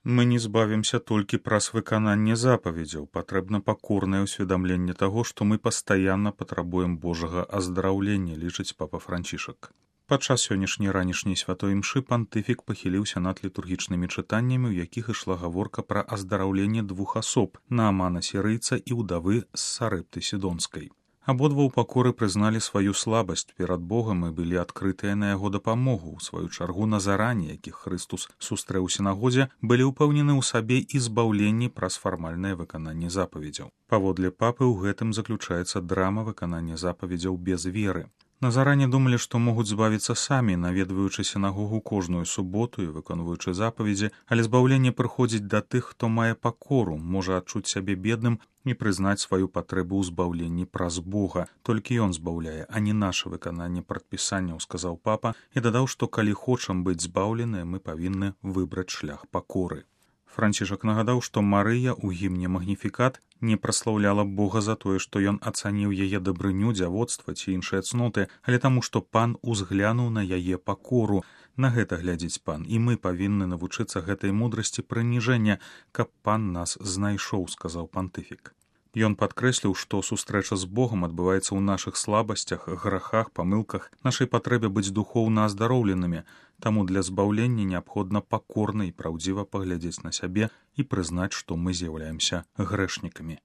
Мы не збавімся толькі праз выкананне запаведзяў, патрэбна пакорнае ўсведамленне таго, што мы пастаянна патрабуем Божага аздараўлення, лічыць папа Францішак. Падчас сённяшняй ранішняй святой імшы пантыфік пахіліўся над літургічнымі чытаннямі, у якіх ішла гаворка пра аздараўленне двух асоб, Наамана сірыйца і ўдавы з Сарэпты Сідонскай. Абодва ў пакоры прызналі сваю слабасць перад Богам і былі адкрытыя на яго дапамогу. У сваю чаргу назарані, якіх Хрыстус сустрэў у сінагозе, былі ўпэўнены ў сабе і збаўленні праз фармальнае выкананне запаведзяў. Паводле папы ў гэтым заключаецца драма выканання запаведзяў без веры. Назаране думалі, што могуць збавіцца самі, наведваючы сінагогу кожную суботу і выконваючы запаведзі, але збаўленне прыходзіць да тых, хто мае пакору, можа адчуць сябе бедным і прызнаць сваю патрэбу ў збаўленні праз Бога. Толькі ён збаўляе, а не наша выкананне прадпісанняў, сказаў папа і дадаў, што калі хочам быць збаўленыя, мы павінны выбраць шлях пакоры. Францішак нагадаў, што Марыя ў гімне «Магніфікат» не праслаўляла Бога за тое, што ён ацаніў яе дабрыню, дзявоцтва ці іншыя цноты, але таму, што пан узглянуў на яе пакору. На гэта глядзіць пан, і мы павінны навучыцца гэтай мудрасці прыніжэння, каб пан нас знайшоў, сказаў пантыфік. Ён падкрэсліў, што сустрэча з Богам адбываецца ў нашых слабасцях, грахах, памылках, нашай патрэбе быць духоўна аздароўленымі, таму для збаўлення неабходна пакорна і праўдзіва паглядзець на сябе і прызнаць, што мы з'яўляемся грэшнікамі.